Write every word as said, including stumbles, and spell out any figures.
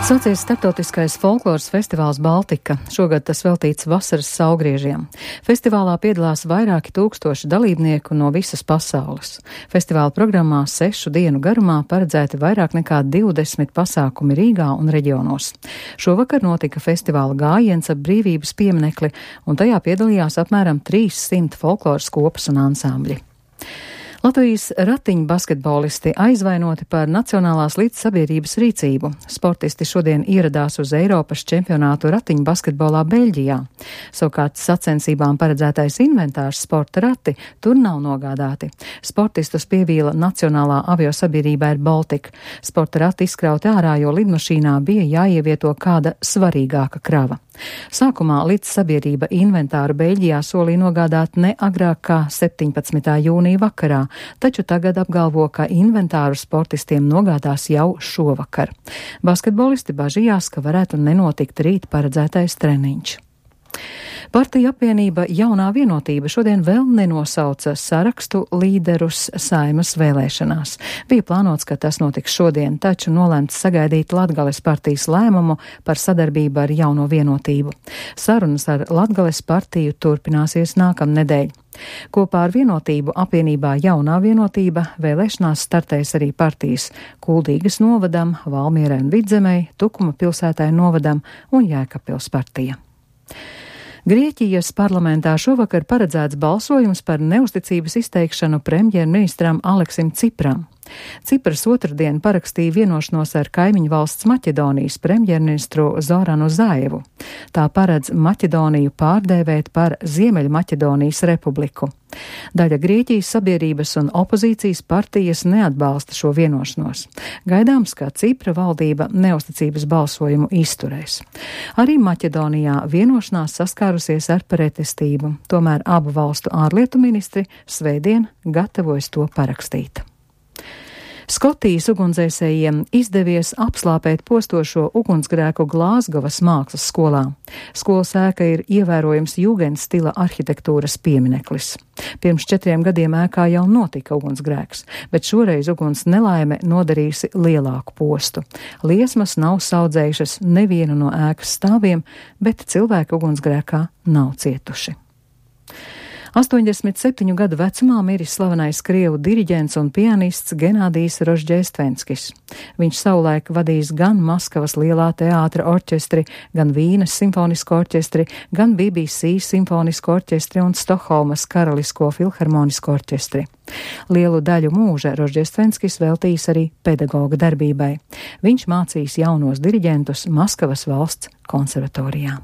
Sācies starptautiskais folkloras festivāls Baltika. Šogad tas veltīts vasaras saulgriežiem. Festivālā piedalās vairāki tūkstoši dalībnieku no visas pasaules. Festivāla programmā sešu dienu garumā paredzēti vairāk nekā divdesmit pasākumi Rīgā un reģionos. Šovakar notika festivāla gājiens ap brīvības pieminekli, un tajā piedalījās apmēram trīssimt folkloras kopas un ansambļi. Latvijas ratiņu basketbolisti aizvainoti par Nacionālās līdzsabiedrības rīcību. Sportisti šodien ieradās uz Eiropas čempionātu ratiņu basketbolā Beļģijā. Savukārt sacensībām paredzētais inventārs sporta rati tur nav nogādāti. Sportistus pievīla Nacionālā aviosabiedrība Air Baltica. Sporta rati izkrauti ārā, jo lidmašīnā bija jāievieto kāda svarīgāka krava. Sākumā līdzsabiedrība inventāru Beļģijā solīja nogādāt ne agrāk kā septiņpadsmitā jūnija vakarā, taču tagad apgalvo, ka inventāru sportistiem nogādās jau šovakar. Basketbolisti bažījās, ka varētu nenotikt rīt paredzētais treniņš. Partija apvienība Jaunā vienotība šodien vēl nenosauca sarakstu līderus Saeimas vēlēšanās. Bija plānots, ka tas notiks šodien, taču nolēmts sagaidīt Latgales partijas lēmumu par sadarbību ar Jauno vienotību. Sarunas ar Latgales partiju turpināsies nākamnedēļ. Kopā ar vienotību apvienībā Jaunā vienotība vēlēšanās startēs arī partijas Kuldīgas novadam, Valmierai un Vidzemei, Tukuma pilsētai novadam un Jēkabpils partija. Grieķijas parlamentā šovakar paredzēts balsojums par neusticības izteikšanu premjerministram Aleksim Cipram. Cipras otrdien parakstīja vienošanos ar kaimiņu valsts Maķedonijas premjerministru Zoranu Zaevu. Tā paredz Maķedoniju pārdēvēt par Ziemeļmaķedonijas republiku. Daļa Grieķijas sabiedrības un opozīcijas partijas neatbalsta šo vienošanos. Gaidāms, ka Cipra valdība neusticības balsojumu izturēs. Arī Maķedonijā vienošanās saskārusies ar pretestību, tomēr abu valstu ārlietu ministri svētdien gatavojas to parakstīt. Skotijas ugunsdzēsējiem izdevies apslāpēt postošo ugunsgrēku Glāzgovas mākslas skolā. Skolas ēka ir ievērojams jūgens stila arhitektūras piemineklis. Pirms četriem gadiem ēkā jau notika ugunsgrēks, bet šoreiz uguns nelaime nodarījusi lielāku postu. Liesmas nav saudzējušas nevienu no ēkas stāviem, bet cilvēki ugunsgrēkā nav cietuši. astoņdesmit septiņu gadu vecumā miris slavenais krievu diriģents un pianists Genādijs Rožģēstvenskis. Viņš savulaik vadījis gan Maskavas lielā teātra orķestri, gan Vīnes simfonisko orķestri, gan B B C simfonisko orķestri un Stokholmas karalisko filharmonisko orķestri. Lielu daļu mūža Rožģēstvenskis veltījis arī pedagoga darbībai. Viņš mācījis jaunos diriģentus Maskavas valsts konservatorijā.